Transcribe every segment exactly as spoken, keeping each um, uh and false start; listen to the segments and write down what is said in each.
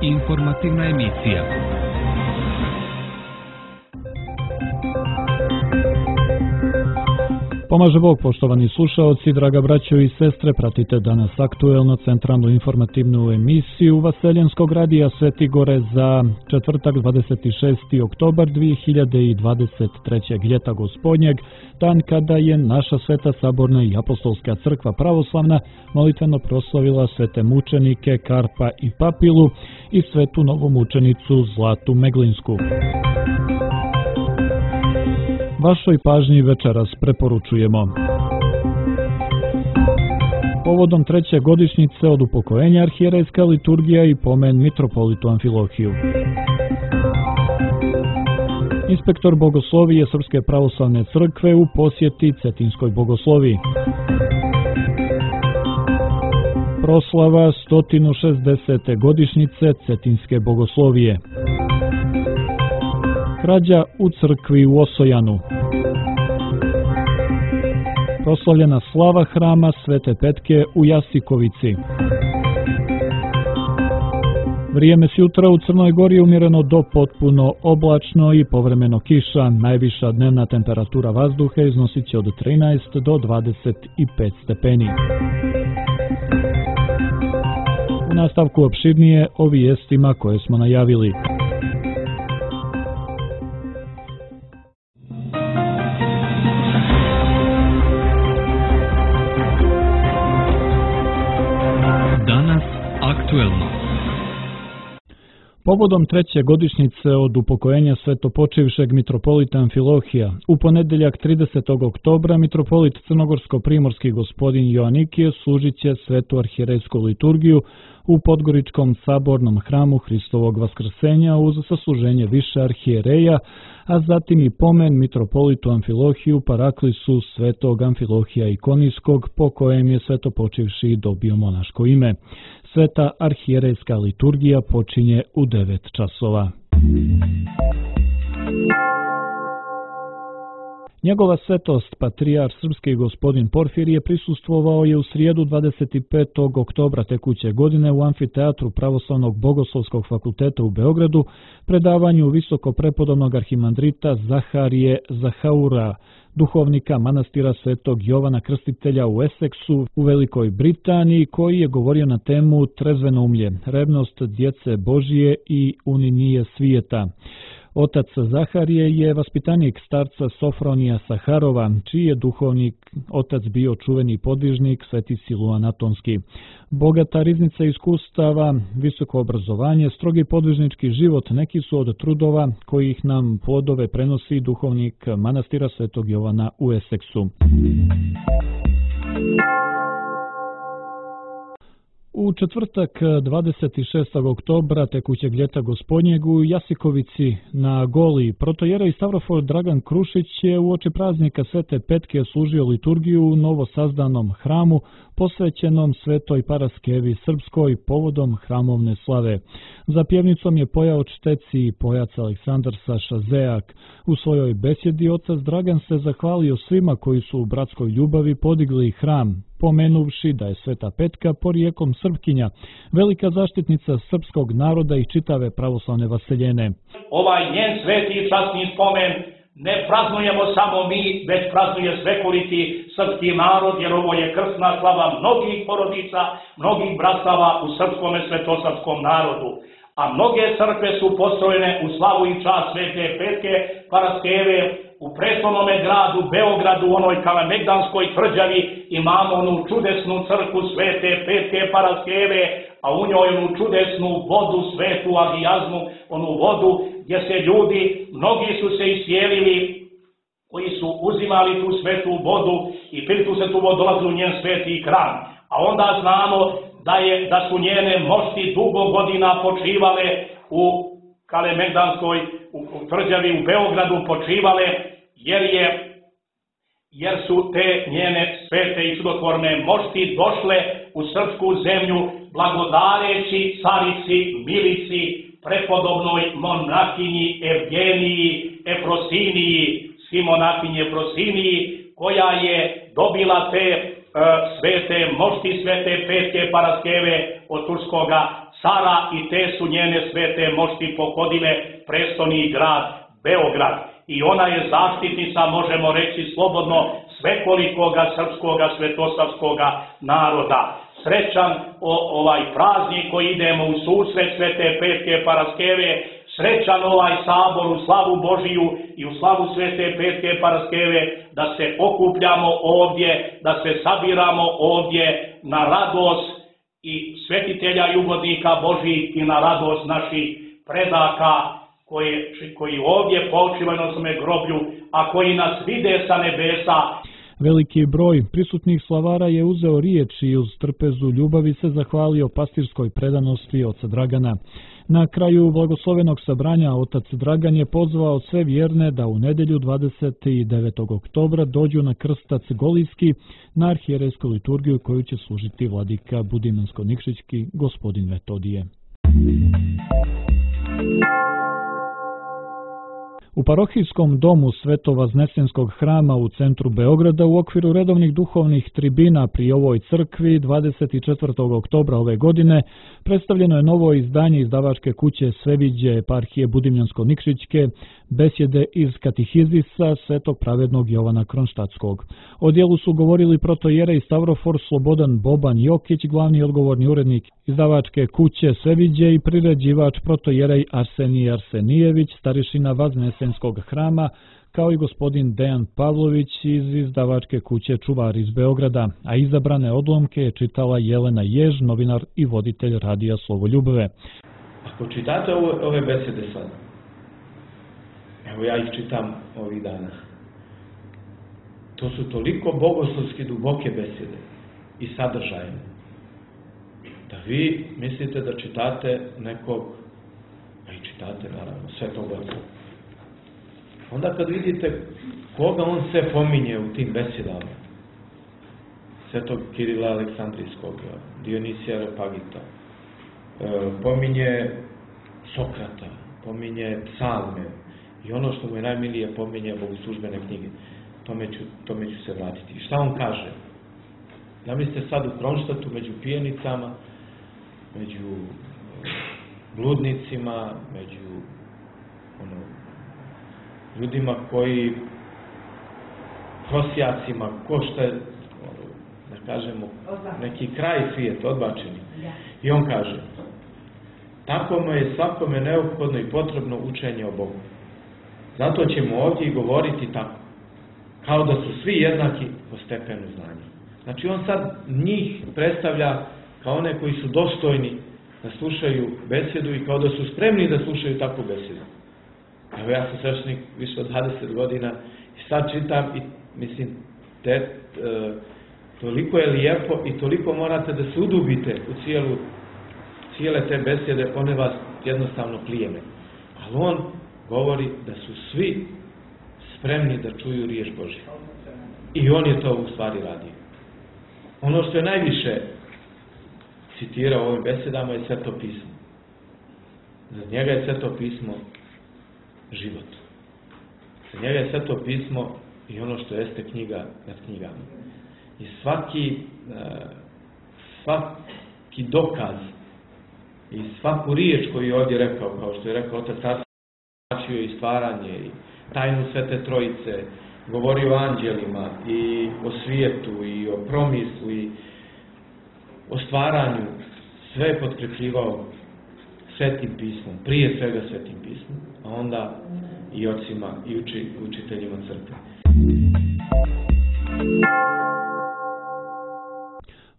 Informativna emisija. Pomaže Bog, poštovani slušaoci, draga braćo i sestre, pratite danas aktuelno centralnu informativnu emisiju Vaseljenskog radija Sveti Gore za četvrtak dvadeset šesti oktobar dvije hiljade dvadeset trećeg. ljeta gospodnjeg, dan kada je naša Sveta Saborna i Apostolska crkva pravoslavna molitveno proslavila svete mučenike Karpa i Papilu i svetu novomučenicu Zlatu Meglinsku. Vašoj pažnji večeras preporučujemo. Povodom treće godišnjice od upokojenja arhijerejska liturgija i pomen mitropolitu Amfilohiju. Inspektor bogoslovije Srpske pravoslavne crkve u posjeti Cetinskoj bogosloviji. Proslava sto šezdesete godišnjice Cetinske bogoslovije. Krađa u crkvi u Osojanu. Proslavljena slava hrama Svete Petke u Jasikovici. Vrijeme s jutra u Crnoj Gori je umjereno do potpuno oblačno i povremeno kiša. Najviša dnevna temperatura vazduha iznosit će od trinaest do dvadeset pet stepeni. U nastavku opširnije o vijestima koje smo najavili. Povodom treće godišnjice od upokojenja svetopočivšeg mitropolita Amfilohija, u ponedjeljak tridesetog oktobra mitropolit crnogorsko-primorski gospodin Joanikije služit će svetu arhijerejsku liturgiju u Podgoričkom sabornom hramu Hristovog vaskrsenja uz sasluženje više arhijereja, a zatim i pomen mitropolitu Amfilohiju paraklisu svetog Amfilohija Ikonijskog, po kojem je svetopočivši dobio monaško ime. Sveta arhijerejska liturgija počinje u devet časova. Njegova svetost, patrijar srpski gospodin Porfirije, prisustvovao je u srijedu dvadeset petog oktobra tekuće godine u amfiteatru Pravoslavnog bogoslovskog fakulteta u Beogradu predavanju visoko prepodobnog arhimandrita Zaharije Zahaura, duhovnika manastira Svetog Jovana Krstitelja u Eseksu u Velikoj Britaniji, koji je govorio na temu trezvenoumlje, revnost djece Božije i uninije svijeta. Otac Zaharije je vaspitanik starca Sofronija Saharova, čiji je duhovnik otac bio čuveni podvižnik Sveti Siluan Atonski. Bogata riznica iskustava, visoko obrazovanje, strogi podvižnički život neki su od trudova kojih nam plodove prenosi duhovnik manastira Svetog Jovana u Eseksu. U četvrtak dvadeset šestog oktobra tekućeg ljeta gospodnjeg u Jasikovici na Goli protojerej Stavrofor Dragan Krušić je uoči praznika Svete Petke služio liturgiju u novosazdanom hramu posvećenom Svetoj Paraskevi Srpskoj povodom hramovne slave. Za pjevnicom je pojao čteci i pojac Aleksandar Saša Zejak. U svojoj besjedi otac Dragan se zahvalio svima koji su u bratskoj ljubavi podigli hram, pomenuvši da je Sveta Petka porijekom Srpkinja, velika zaštitnica srpskog naroda i čitave pravoslavne vaseljene. Ovaj njen sveti i časni spomen ne praznujemo samo mi, već praznuje svekoliki srpski narod, jer ovo je krsna slava mnogih porodica, mnogih bratstava u srpskome svetosavskom narodu. A mnoge crkve su postrojene u slavu i čast Svete Petke Paraskeve. U prestolnome gradu Beogradu, u onoj Kalemegdanskoj tvrđavi, imamo onu čudesnu crkvu Svete Petke Paraskeve, a u njoj onu čudesnu vodu, svetu agijazmu, onu vodu gdje se ljudi, mnogi su se iscijelili, koji su uzimali tu svetu vodu i pili tu svetu vodu, dolazili u njen sveti hram. A onda znamo da, je, da su njene mošti dugo godina počivale u Kalemegdanskoj u tvrđavi u Beogradu počivale, jer je jer su te njene svete i čudotvorne mošti došle u srpsku zemlju blagodareći carici Milici, prepodobnoj monahinji Evgeniji Efrosiniji, Simonahinji Efrosiniji, koja je dobila te svete mošti Svete Petke Paraskeve od turskoga cara i te su njene svete mošti pohodile prestoni grad Beograd. I ona je zaštitnica, možemo reći slobodno, svekolikoga srpskoga svetosavskoga naroda. Srećan o, ovaj praznik koji idemo u susret Svete Petke Paraskeve, srećan ovaj sabor u slavu Božiju i u slavu Svete Petke Paraskeve, da se okupljamo ovdje, da se sabiramo ovdje na radost i svetitelja i ugodnika Božih i na radost naših predaka koji, koji ovdje počivaju na svome groblju, a koji nas vide sa nebesa. Veliki broj prisutnih slavara je uzeo riječ i uz trpezu ljubavi se zahvalio pastirskoj predanosti oca Dragana. Na kraju blagoslovenog sabranja otac Dragan je pozvao sve vjerne da u nedjelju dvadeset devetog oktobra dođu na krstac Golijski na arhijerejsku liturgiju koju će služiti vladika Budimansko-Nikšićki gospodin Metodije. U parohijskom domu Svetovaznesenskog hrama u centru Beograda u okviru redovnih duhovnih tribina pri ovoj crkvi dvadeset četvrtog oktobra ove godine predstavljeno je novo izdanje izdavačke kuće Sveviđe eparhije Budimljansko-Nikšićke, besjede iz katehizisa Svetog pravednog Jovana Kronštatskog. O dijelu su govorili protojerej Stavrofor Slobodan Boban Jokić, glavni odgovorni urednik izdavačke kuće Sveviđe i priređivač protojerej Arsenij Arsenijević, starešina Vaznesenskog hrama, kao i gospodin Dejan Pavlović iz izdavačke kuće Čuvar iz Beograda, a izabrane odlomke je čitala Jelena Jež, novinar i voditelj radija Slovoljubove. Ako čitate ove, ove besede sad, evo ja ih čitam ovih dana, to su toliko bogoslovski duboke besede i sadržajne, da vi mislite da čitate nekog, a i čitate naravno, Svetog Oca. Onda kad vidite koga on sve pominje u tim besedama, Svetog Kirila Aleksandrijskog, Dionisija Areopagita, pominje Sokrata, pominje psalme i ono što mu je najmilije pominje bogoslužbene knjige. Tome ću, tome ću se vratiti. I šta on kaže? Zamislite sad u Kronštatu među pijenicama, među bludnicima, među ono, ljudima koji prosjacima, ko šta je, da kažemo, neki kraj svijet, odbačeni. I on kaže, tako mu je svakome neophodno i potrebno učenje o Bogu. Zato ćemo ovdje i govoriti tako, kao da su svi jednaki po stepenu znanja. Znači on sad njih predstavlja kao one koji su dostojni da slušaju besedu i kao da su spremni da slušaju takvu besedu. Evo ja sam sveštenik više od dvadeset godina i sad čitam i mislim, te, e, toliko je lijepo i toliko morate da se udubite u cijelu, cijele te besede, one vas jednostavno plijeme. Ali on govori da su svi spremni da čuju riječ Božju. I on je to u stvari radio. Ono što je najviše citirao u ovim besedama je Sveto pismo. Za njega je Sveto pismo život. Za njega je Sveto pismo i ono što jeste knjiga nad knjigama. I svaki, svaki dokaz i svaku riječ koju je ovdje rekao, kao što je rekao Otac Arsenij, i stvaranje i tajnu Svete Trojice, govori o anđelima i o svijetu i o promislu i o stvaranju, sve je potkrepljivao Svetim pismom, prije svega Svetim pismom, a onda i ocima i uči, učiteljima crkve.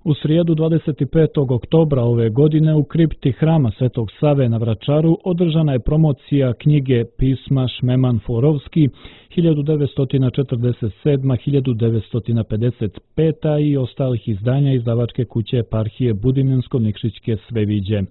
U srijedu dvadeset petog oktobra ove godine u kripti hrama Svetog Save na Vračaru održana je promocija knjige pisma Šmeman Forovski hiljadu devetsto četrdeset sedma do hiljadu devetsto pedeset peta i ostalih izdanja izdavačke kuće eparhije Budimljansko-Nikšićke Sveviđe.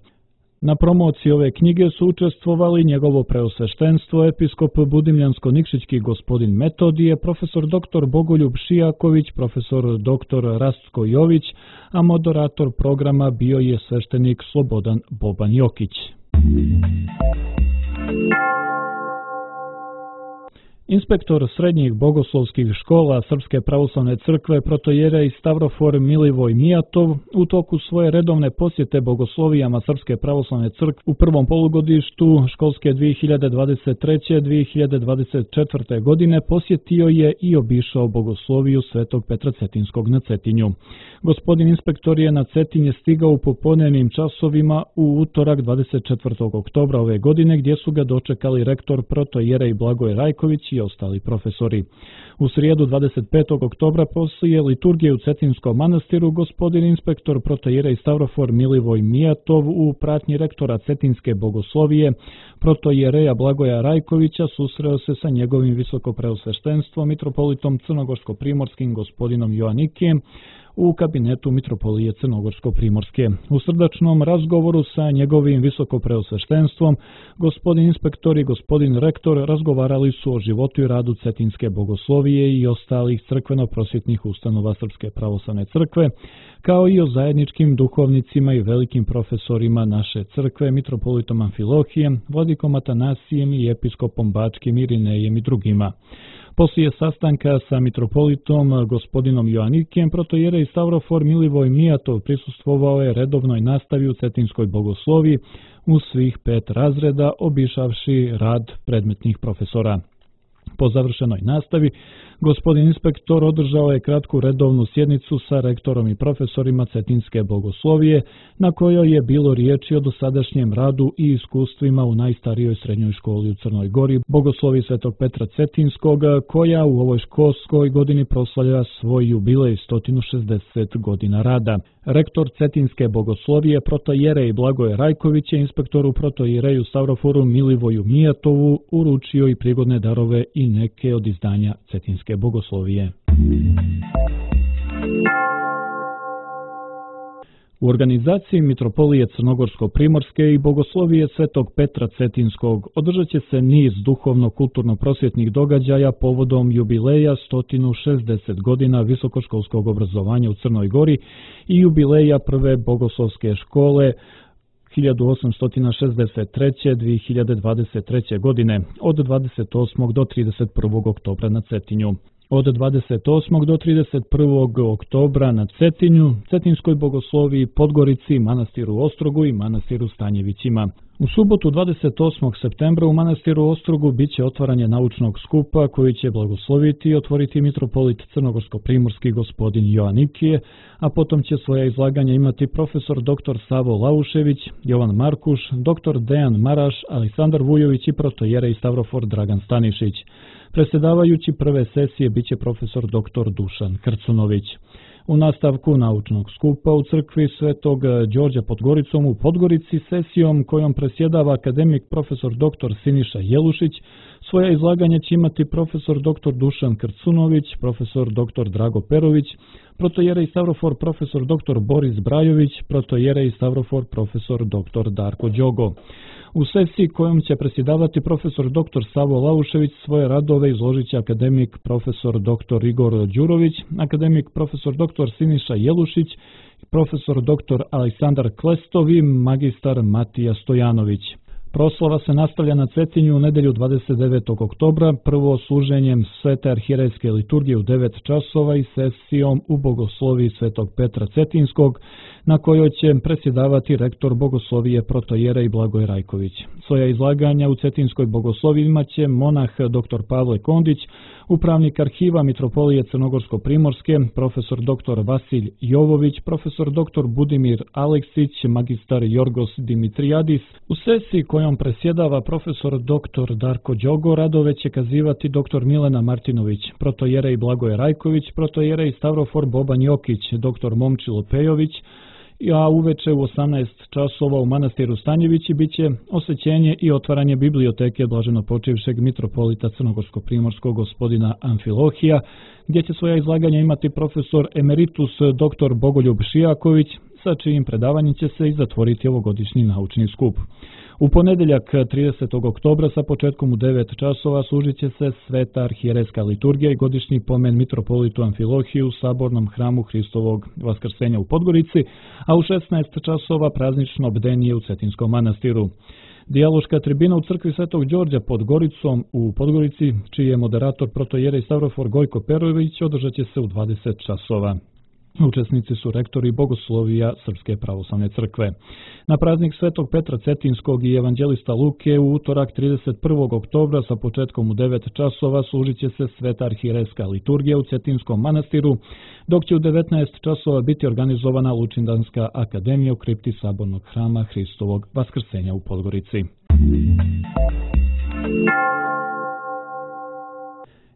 Na promociji ove knjige su učestvovali njegovo preosveštenstvo, episkop Budimljansko-Nikšićki gospodin Metodije, profesor doktor Bogoljub Šijaković, profesor doktor Rastko Jović, a moderator programa bio je sveštenik Slobodan Boban Jokić. Inspektor srednjih bogoslovskih škola Srpske pravoslavne crkve protojerej Stavrofor Milivoj Mijatov u toku svoje redovne posjete bogoslovijama Srpske pravoslavne crkve u prvom polugodištu školske dvije hiljade dvadeset treće dvije hiljade dvadeset četvrte. godine posjetio je i obišao bogosloviju Svetog Petra Cetinskog na Cetinju. Gospodin inspektor je na Cetinje stigao u popodnevnim časovima u utorak dvadeset četvrtog oktobra ove godine, gdje su ga dočekali rektor protojerej Blagoje Rajković i ostali profesori. U srijedu dvadeset petog oktobra poslije liturgije u Cetinskom manastiru gospodin inspektor protojerej Stavrofor Milivoj Mijatov u pratnji rektora Cetinske bogoslovije protojereja Blagoja Rajkovića susreo se sa njegovim visokopreosveštenstvom mitropolitom crnogorsko-primorskim gospodinom Joanikijem u kabinetu mitropolije Crnogorsko-primorske. U srdačnom razgovoru sa njegovim visokopreosveštenstvom gospodin inspektor i gospodin rektor razgovarali su o životu i radu Cetinske bogoslovije i ostalih crkveno-prosvjetnih ustanova Srpske pravoslavne crkve, kao i o zajedničkim duhovnicima i velikim profesorima naše crkve, mitropolitom Amfilohijem, vladikom Atanasijem i episkopom Bačkim Irinejem i drugima. Poslije sastanka sa mitropolitom gospodinom Joanikijem, protojerej Stavrofor Milivoj Mijatov prisustvovao je redovnoj nastavi u Cetinskoj bogosloviji u svih pet razreda, obišavši rad predmetnih profesora. Po završenoj nastavi, gospodin inspektor održao je kratku redovnu sjednicu sa rektorom i profesorima Cetinske bogoslovije, na kojoj je bilo riječi o dosadašnjem radu i iskustvima u najstarijoj srednjoj školi u Crnoj Gori, bogosloviji Svetog Petra Cetinskog, koja u ovoj školskoj godini proslavlja svoj jubilej sto šezdeset godina rada. Rektor Cetinske bogoslovije protojerej Blagoje Rajković je inspektoru protojereju Stavroforu Milivoju Mijatovu uručio i prigodne darove i neke od izdanja Cetinske bogoslovije. U organizaciji Mitropolije Crnogorsko-primorske i bogoslovije Svetog Petra Cetinskog održat će se niz duhovno-kulturno-prosvjetnih događaja povodom jubileja sto šezdeset godina visokoškolskog obrazovanja u Crnoj Gori i jubileja prve bogoslovske škole hiljadu osamsto šezdeset treće do dvije hiljade dvadeset treće. godine od dvadeset osmog do trideset prvog oktobra na Cetinju. Od dvadeset osmog do trideset prvog oktobra na Cetinju, Cetinskoj bogosloviji, Podgorici, manastiru Ostrogu i manastiru Stanjevićima. U subotu dvadeset osmog septembra u manastiru Ostrogu bit će otvaranje naučnog skupa koji će blagosloviti i otvoriti mitropolit Crnogorsko-primorski gospodin Joanikije, a potom će svoja izlaganja imati profesor dr. Savo Laušević, Jovan Markuš, dr. Dejan Maraš, Aleksandar Vujović i protojerej Stavrofor Dragan Stanišić. Predsjedavajući prve sesije biće profesor dr. Dušan Krcunović. U nastavku naučnog skupa u crkvi Svetog Đorđa pod Goricom u Podgorici sesijom kojom presjedava akademik profesor dr. Siniša Jelušić, svoja izlaganja će imati profesor dr. Dušan Krcunović, profesor dr. Drago Perović, protojerej Stavrofor profesor dr. Boris Brajović, protojerej Stavrofor profesor dr. Darko Đogo. U sesiji kojom će predsjedavati profesor dr. Savo Laušević svoje radove izložit će akademik profesor dr. Igor Đurović, akademik profesor dr. Siniša Jelušić, profesor dr. Aleksandar Klestov i magistar Matija Stojanović. Proslava se nastavlja na Cetinju u nedjelju dvadeset devetog oktobra, prvo služenjem Svete arhijerejske liturgije u devet časova i sesijom u bogosloviji Svetog Petra Cetinskog, na kojoj će predsjedavati rektor bogoslovije protojerej Blagoje Rajković. Svoja izlaganja u Cetinskoj bogosloviji imat će monah dr. Pavle Kondić, upravnik arhiva Mitropolije Crnogorsko-primorske, profesor dr. Vasilj Jovović, profesor dr. Budimir Aleksić, magistar Jorgos Dimitrijadis. U sesiji kojom presjedava profesor dr. Darko Đogo radove će kazivati dr. Milena Martinović, protojerej Blagoje Rajković, protojerej Stavrofor Boban Jokić, dr. Momčilo Pejović, a uveče u osamnaest časova u manastiru Stanjevići bit će osvećenje i otvaranje biblioteke blaženopočivšeg mitropolita Crnogorsko-primorskog gospodina Amfilohija, gdje će svoja izlaganja imati profesor emeritus dr. Bogoljub Šijaković, sa čijim predavanjem će se i zatvoriti ovogodišnji naučni skup. U ponedjeljak tridesetog oktobra sa početkom u devet časova služit će se Sveta arhijerejska liturgija i godišnji pomen mitropolitu Amfilohiju u sabornom hramu Hristovog Vaskrsenja u Podgorici, a u šesnaest časova praznično bdenije u Cetinskom manastiru. Dijaloška tribina u crkvi Svetog Đorđa pod Goricom u Podgorici, čiji je moderator protojerej Stavrofor Gojko Perović, održat će se u dvadeset časova. Učesnici su rektori bogoslovija Srpske pravoslavne crkve. Na praznik Svetog Petra Cetinskog i evanđelista Luke u utorak trideset prvog oktobra sa početkom u devet časova služit će se Sveta arhirejska liturgija u Cetinskom manastiru, dok će u devetnaest časova biti organizovana Lučindanska akademija u kripti Sabornog hrama Hristovog Vaskrsenja u Podgorici.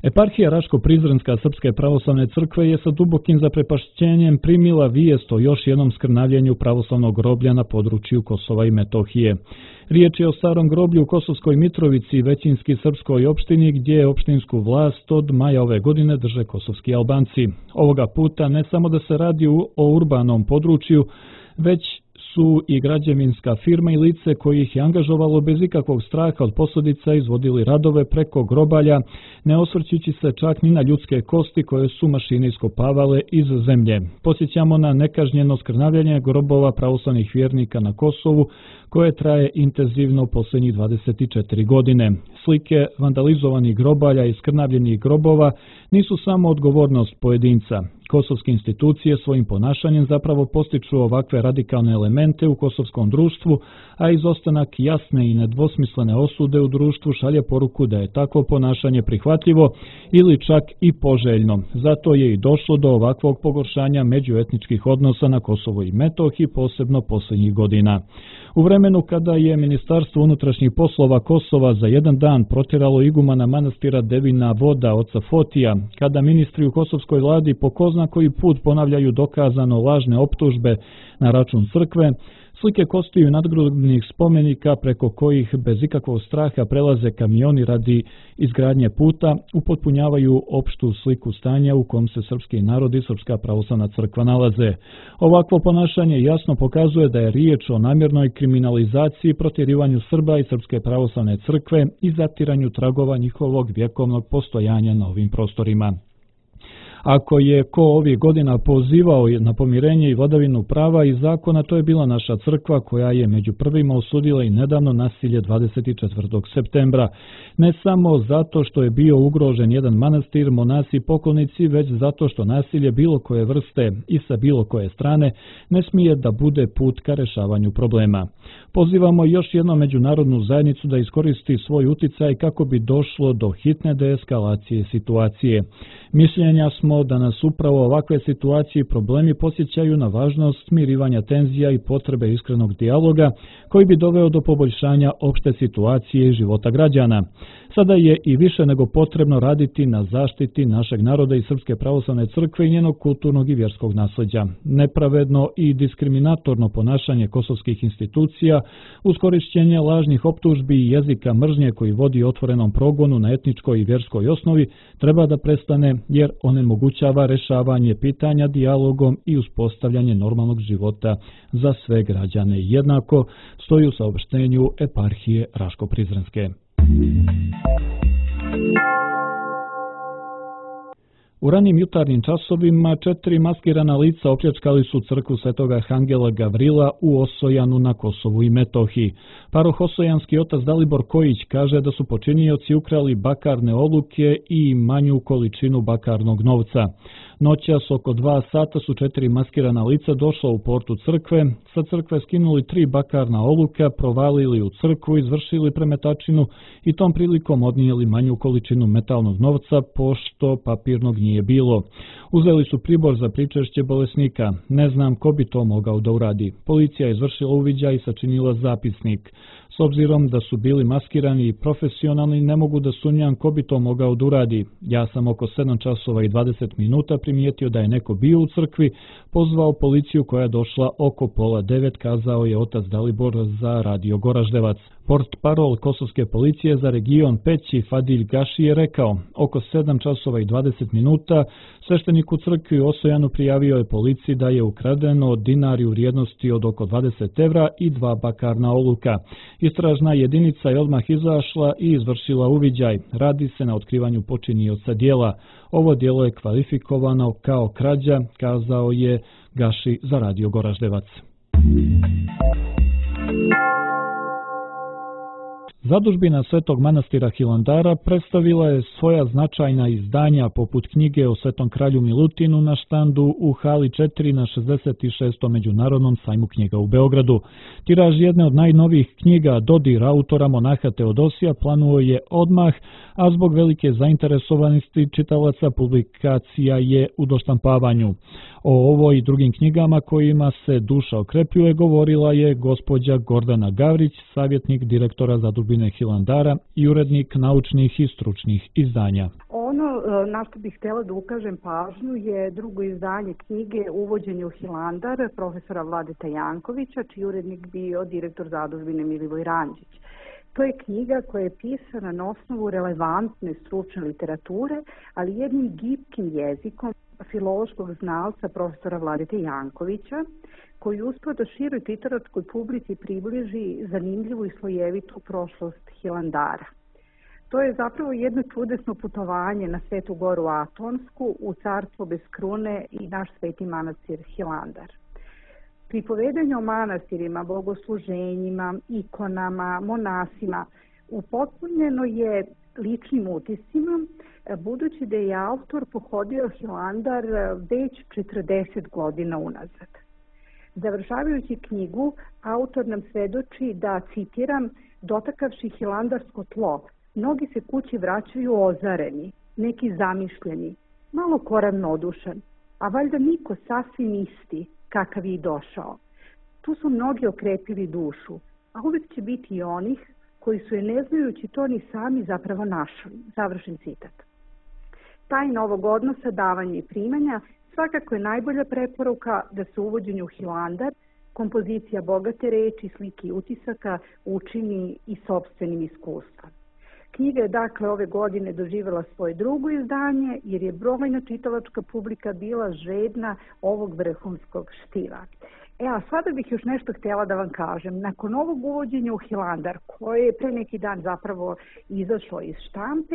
Eparhija Raško-Prizrenska Srpske pravoslavne crkve je sa dubokim zaprepašćenjem primila vijest o još jednom skrnavljenju pravoslavnog groblja na području Kosova i Metohije. Riječ je o starom groblju u Kosovskoj Mitrovici i većinski srpskoj opštini, gdje je opštinsku vlast od maja ove godine drže kosovski Albanci. Ovoga puta ne samo da se radi o urbanom području, već su i građevinska firma i lice koji ih je angažovalo bez ikakvog straha od posljedica izvodili radove preko grobalja, ne osvrćući se čak ni na ljudske kosti koje su mašine iskopavale iz zemlje. Posjećamo na nekažnjeno skrnavljanje grobova pravoslavnih vjernika na Kosovu, koje traje intenzivno posljednjih dvadeset četiri godine. Slike vandalizovanih grobalja i skrnavljenih grobova nisu samo odgovornost pojedinca. Kosovske institucije svojim ponašanjem zapravo postiču ovakve radikalne elemente u kosovskom društvu, a izostanak jasne i nedvosmislene osude u društvu šalje poruku da je takvo ponašanje prihvatljivo ili čak i poželjno. Zato je i došlo do ovakvog pogoršanja međuetničkih odnosa na Kosovu i Metohiji, posebno posljednjih godina. U vremenu kada je Ministarstvo unutrašnjih poslova Kosova za jedan dan protjeralo igumana manastira Devina Voda oca Fotija, kada ministri u kosovskoj vladi po ko zna koji put ponavljaju dokazano lažne optužbe na račun crkve, slike kostiju nadgrobnih spomenika preko kojih bez ikakvog straha prelaze kamioni radi izgradnje puta, upotpunjavaju opštu sliku stanja u kom se srpski narod i Srpska pravoslavna crkva nalaze. Ovakvo ponašanje jasno pokazuje da je riječ o namjernoj kriminalizaciji i protjerivanju Srba i Srpske pravoslavne crkve i zatiranju tragova njihovog vjekovnog postojanja na ovim prostorima. Ako je ko ovih godina pozivao na pomirenje i vladavinu prava i zakona, to je bila naša crkva koja je među prvima osudila i nedavno nasilje dvadeset četvrtog septembra. Ne samo zato što je bio ugrožen jedan manastir, monasi i poklonici, već zato što nasilje bilo koje vrste i sa bilo koje strane ne smije da bude put ka rešavanju problema. Pozivamo još jednom međunarodnu zajednicu da iskoristi svoj uticaj kako bi došlo do hitne deeskalacije situacije. Mišljenja smo da nas upravo ovakve situacije i problemi podsjećaju na važnost smirivanja tenzija i potrebe iskrenog dijaloga koji bi doveo do poboljšanja opšte situacije i života građana. Sada je i više nego potrebno raditi na zaštiti našeg naroda i Srpske pravoslavne crkve i njenog kulturnog i vjerskog nasljeđa. Nepravedno i diskriminatorno ponašanje kosovskih institucija uz korišćenje lažnih optužbi i jezika mržnje koji vodi otvorenom progonu na etničkoj i vjerskoj osnovi treba da prestane, jer onemogućava rešavanje pitanja dijalogom i uspostavljanje normalnog života za sve građane. Jednako stoji u saopštenju Eparhije Raško-Prizrenske. U ranim jutarnjim časovima četiri maskirana lica opljačkali su crkvu Svetoga Arhangela Gavrila u Osojanu na Kosovu i Metohiji. Parohosojanski otac Dalibor Kojić kaže da su počinioci ukrali bakarne oluke i manju količinu bakarnog novca. Noćas oko dva sata su četiri maskirana lica došla u portu crkve, sa crkve skinuli tri bakarna oluka, provalili u crkvu, izvršili premetačinu i tom prilikom odnijeli manju količinu metalnog novca, pošto papirnog nije bilo. Uzeli su pribor za pričešće bolesnika. Ne znam ko bi to mogao da uradi. Policija je izvršila uviđaj i sačinila zapisnik. S obzirom da su bili maskirani i profesionalni, ne mogu da sumnjam ko bi to mogao da uradi. Ja sam oko sedam časova i dvadeset minuta primijetio da je neko bio u crkvi, pozvao policiju koja je došla oko pola devet, kazao je otac Dalibor za Radio Goraždevac. Portparol kosovske policije za region Peći Fadilj Gaši je rekao, oko sedam časova i dvadeset minuta sveštenik u crkvi u Osojanu prijavio je policiji da je ukradeno dinari u vrijednosti od oko dvadeset evra i dva bakarna oluka. Istražna jedinica je odmah izašla i izvršila uviđaj. Radi se na otkrivanju počinioca djela. Ovo djelo je kvalifikovano kao krađa, kazao je Gaši za Radio Goraždevac. Zadužbina Svetog manastira Hilandara predstavila je svoja značajna izdanja poput knjige o Svetom kralju Milutinu na štandu u hali četiri na šezdeset šestom Međunarodnom sajmu knjiga u Beogradu. Tiraž jedne od najnovijih knjiga Dodir autora monaha Teodosija planuo je odmah, a zbog velike zainteresovanosti čitalaca publikacija je u doštampavanju. O ovoj i drugim knjigama kojima se duša okrepljuje govorila je gospođa Gordana Gavrić, savjetnik direktora Zadužbine Hilandara i urednik naučnih i stručnih izdanja. Ono na što bih htjela da ukažem pažnju je drugo izdanje knjige Uvođenje u Hilandar profesora Vladeta Jankovića, čiji urednik bio direktor Zadužbine Milivoj Ranđić. To je knjiga koja je pisana na osnovu relevantne stručne literature, ali jednim gibkim jezikom filološkog znalca profesora Vladeta Jankovića, koji uspio da široj literatskoj publici približi zanimljivu i slojevitu prošlost Hilandara. To je zapravo jedno čudesno putovanje na Svetu goru Atonsku, u carstvo bez krune i naš sveti manastir Hilandar. Pripovedanje o manastirima, bogosluženjima, ikonama, monasima upotpunjeno je ličnim utiscima, budući da je autor pohodio Hilandar već četrdeset godina unazad. Završavajući knjigu, autor nam svedoči da, citiram, dotakavši hilandarsko tlo, mnogi se kući vraćaju ozareni, neki zamišljeni, malo koravno odušan, a valjda niko sasvim isti kakav je i došao. Tu su mnogi okrepili dušu, a uvijek će biti i onih koji su je ne znajući to ni sami zapravo našli. Završen citat. Tajna ovog odnosa davanja i primanja svakako je najbolja preporuka da se uvođenju u Hilandar kompozicija bogate reči, slike i utisaka učini i sopstvenim iskustvom. Knjiga je dakle ove godine doživjela svoje drugo izdanje jer je brojna čitalačka publika bila žedna ovog vrhunskog štiva. E, a sada bih još nešto htjela da vam kažem. Nakon ovog uvođenja u Hilandar, koje je pre neki dan zapravo izašlo iz štampe,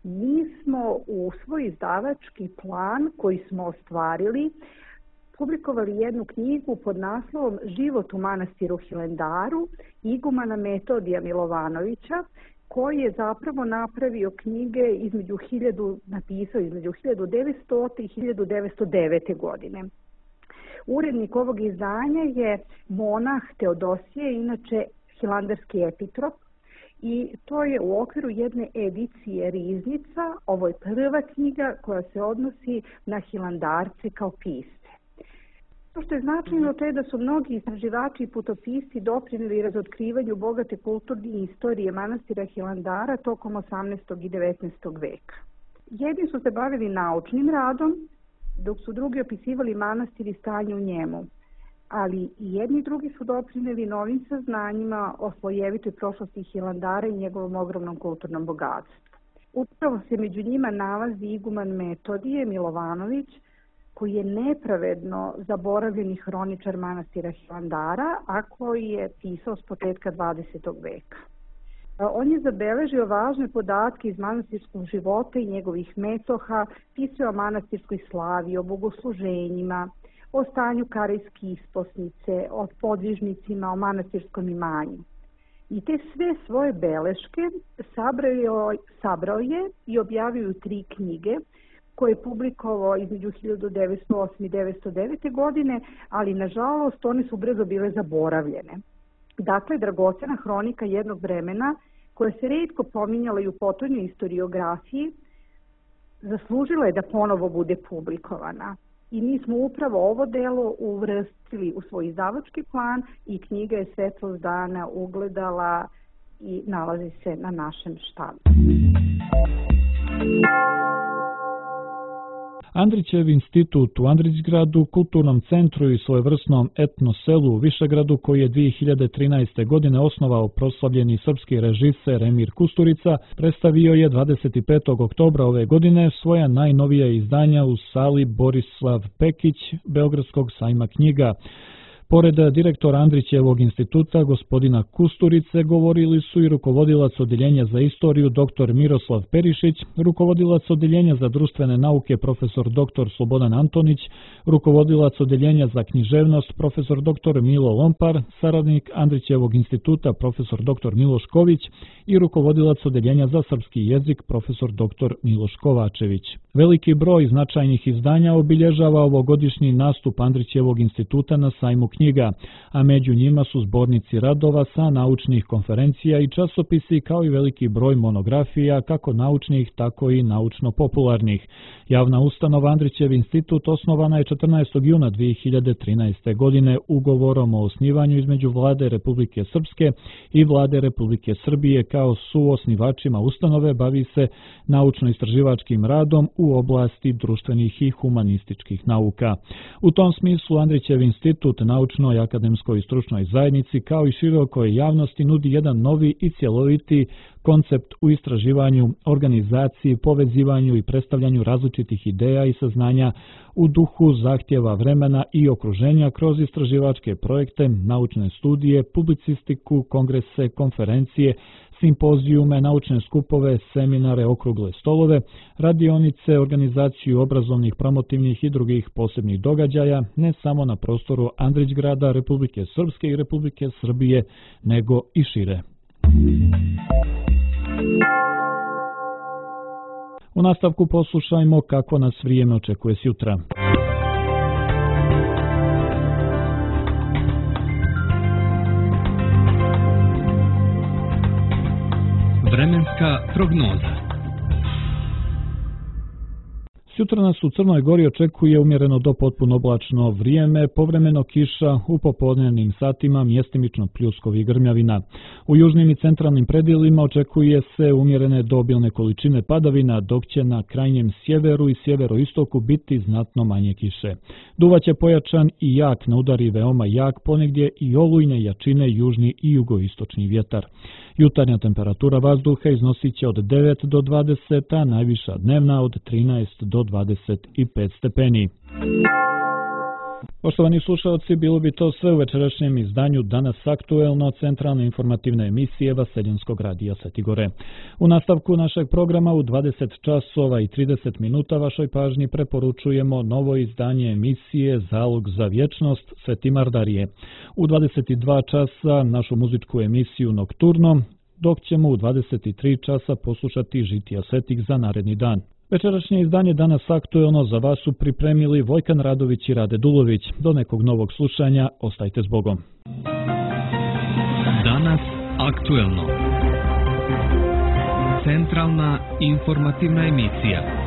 mi smo u svoj izdavački plan koji smo ostvarili publikovali jednu knjigu pod naslovom Život u manastiru Hilandaru igumana Metodija Milovanovića, koji je zapravo napravio knjige između hiljadu, napisao između hiljadu devetsto i hiljadu devetsto devete. godine. Urednik ovog izdanja je monah Teodosije, inače hilandarski epitrop, i to je u okviru jedne edicije Riznica. Ovo je prva knjiga koja se odnosi na hilandarce kao pisce. To što je značajno to je da su mnogi istraživači i putopisci doprinijeli razotkrivanju bogate kulturne istorije manastira Hilandara tokom osamnaestog i devetnaestog veka. Jedni su se bavili naučnim radom, dok su drugi opisivali manastir i stanje u njemu, ali i jedni i drugi su doprinijeli novim saznanjima o slojevitoj prošlosti Hilandara i njegovom ogromnom kulturnom bogatstvu. Upravo se među njima nalazi iguman Metodije Milovanović, koji je nepravedno zaboravljeni hroničar manastira Hilandara, a koji je pisao s početka dvadesetog veka. On je zabeležio važne podatke iz manastirskog života i njegovih metoha, pisao o manastirskoj slavi, o bogosluženjima, o stanju karejske isposnice, o podvižnicima, o manastirskom imanju. I te sve svoje beleške sabrao, sabrao je i objavio u tri knjige, koje je publikovao između hiljadu devetsto osme i devetsto devete. godine, ali nažalost one su brzo bile zaboravljene. Dakle, dragocena hronika jednog vremena, koja se rijetko pominjala i u potonjoj historiografiji, zaslužila je da ponovo bude publikovana. I mi smo upravo ovo delo uvrstili u svoj izdavački plan i knjiga je svetlost dana ugledala i nalazi se na našem štampu. Andrićev institut u Andrićgradu, kulturnom centru i svojevrsnom etno selu u Višegradu, koji je dvije hiljade trinaeste. godine osnovao proslavljeni srpski režiser Emir Kusturica, predstavio je dvadeset petog oktobra ove godine svoja najnovija izdanja u sali Borislav Pekić Beogradskog sajma knjiga. Pored direktora Andrićevog instituta, gospodina Kusturice, govorili su i rukovodilac Odeljenja za istoriju dr. Miroslav Perišić, rukovodilac Odeljenja za društvene nauke profesor dr. Slobodan Antonić, rukovodilac Odeljenja za književnost profesor dr. Milo Lompar, saradnik Andrićevog instituta profesor dr. Miloš Ković i rukovodilac Odeljenja za srpski jezik profesor dr. Miloš Kovačević. Veliki broj značajnih izdanja obilježava ovogodišnji nastup Andrićevog instituta na sajmu knjiga, a među njima su zbornici radova sa naučnih konferencija i časopisi kao i veliki broj monografija kako naučnih tako i naučno-popularnih. Javna ustanova Andrićev institut osnovana je četrnaestog juna dvije hiljade trinaeste. godine ugovorom o osnivanju između Vlade Republike Srpske i Vlade Republike Srbije. Kao suosnivačima ustanove bavi se naučno-istraživačkim radom u oblasti društvenih i humanističkih nauka. U tom smislu Andrićev institut naučnoj, akademskoj i stručnoj zajednici kao i širokoj javnosti nudi jedan novi i cjeloviti koncept u istraživanju, organizaciji, povezivanju i predstavljanju različitih ideja i saznanja u duhu zahtjeva vremena i okruženja kroz istraživačke projekte, naučne studije, publicistiku, kongrese, konferencije, simpozijume, naučne skupove, seminare, okrugle stolove, radionice, organizaciju obrazovnih, promotivnih i drugih posebnih događaja, ne samo na prostoru Andrićgrada, Republike Srpske i Republike Srbije, nego i šire. U nastavku poslušajmo kako nas vrijeme očekuje sutra. Vremenska prognoza. Sutra nas u Crnoj Gori očekuje umjereno do potpuno oblačno vrijeme, povremeno kiša, u popodnevnim satima mjestimično pljuskovi i grmljavina. U južnim i centralnim predjelima očekuje se umjerene do obilne količine padavina, dok će na krajnjem sjeveru i sjeveroistoku biti znatno manje kiše. Duvaće pojačan i jak, na udari veoma jak, ponegdje i olujne jačine južni i jugoistočni vjetar. Jutarnja temperatura vazduha iznosit će od devet do dvadeset, a najviša dnevna od trinaest do dvadeset pet stepeni. Poštovani slušalci, bilo bi to sve u večerašnjem izdanju Danas aktuelno centralne informativne emisije Vaseljenskog radija Svetigore. U nastavku našeg programa u dvadeset časova i trideset minuta vašoj pažnji preporučujemo novo izdanje emisije Zalog za vječnost Svetimar Darije. U dvadeset dva časa našu muzičku emisiju Nokturno, dok ćemo u dvadeset tri časa poslušati Žitija svetih za naredni dan. Večerašnje izdanje Danas aktuelno za vas su pripremili Vojkan Radović i Rade Dulović. Do nekog novog slušanja, ostajte s Bogom. Danas aktuelno. Centralna informativna emisija.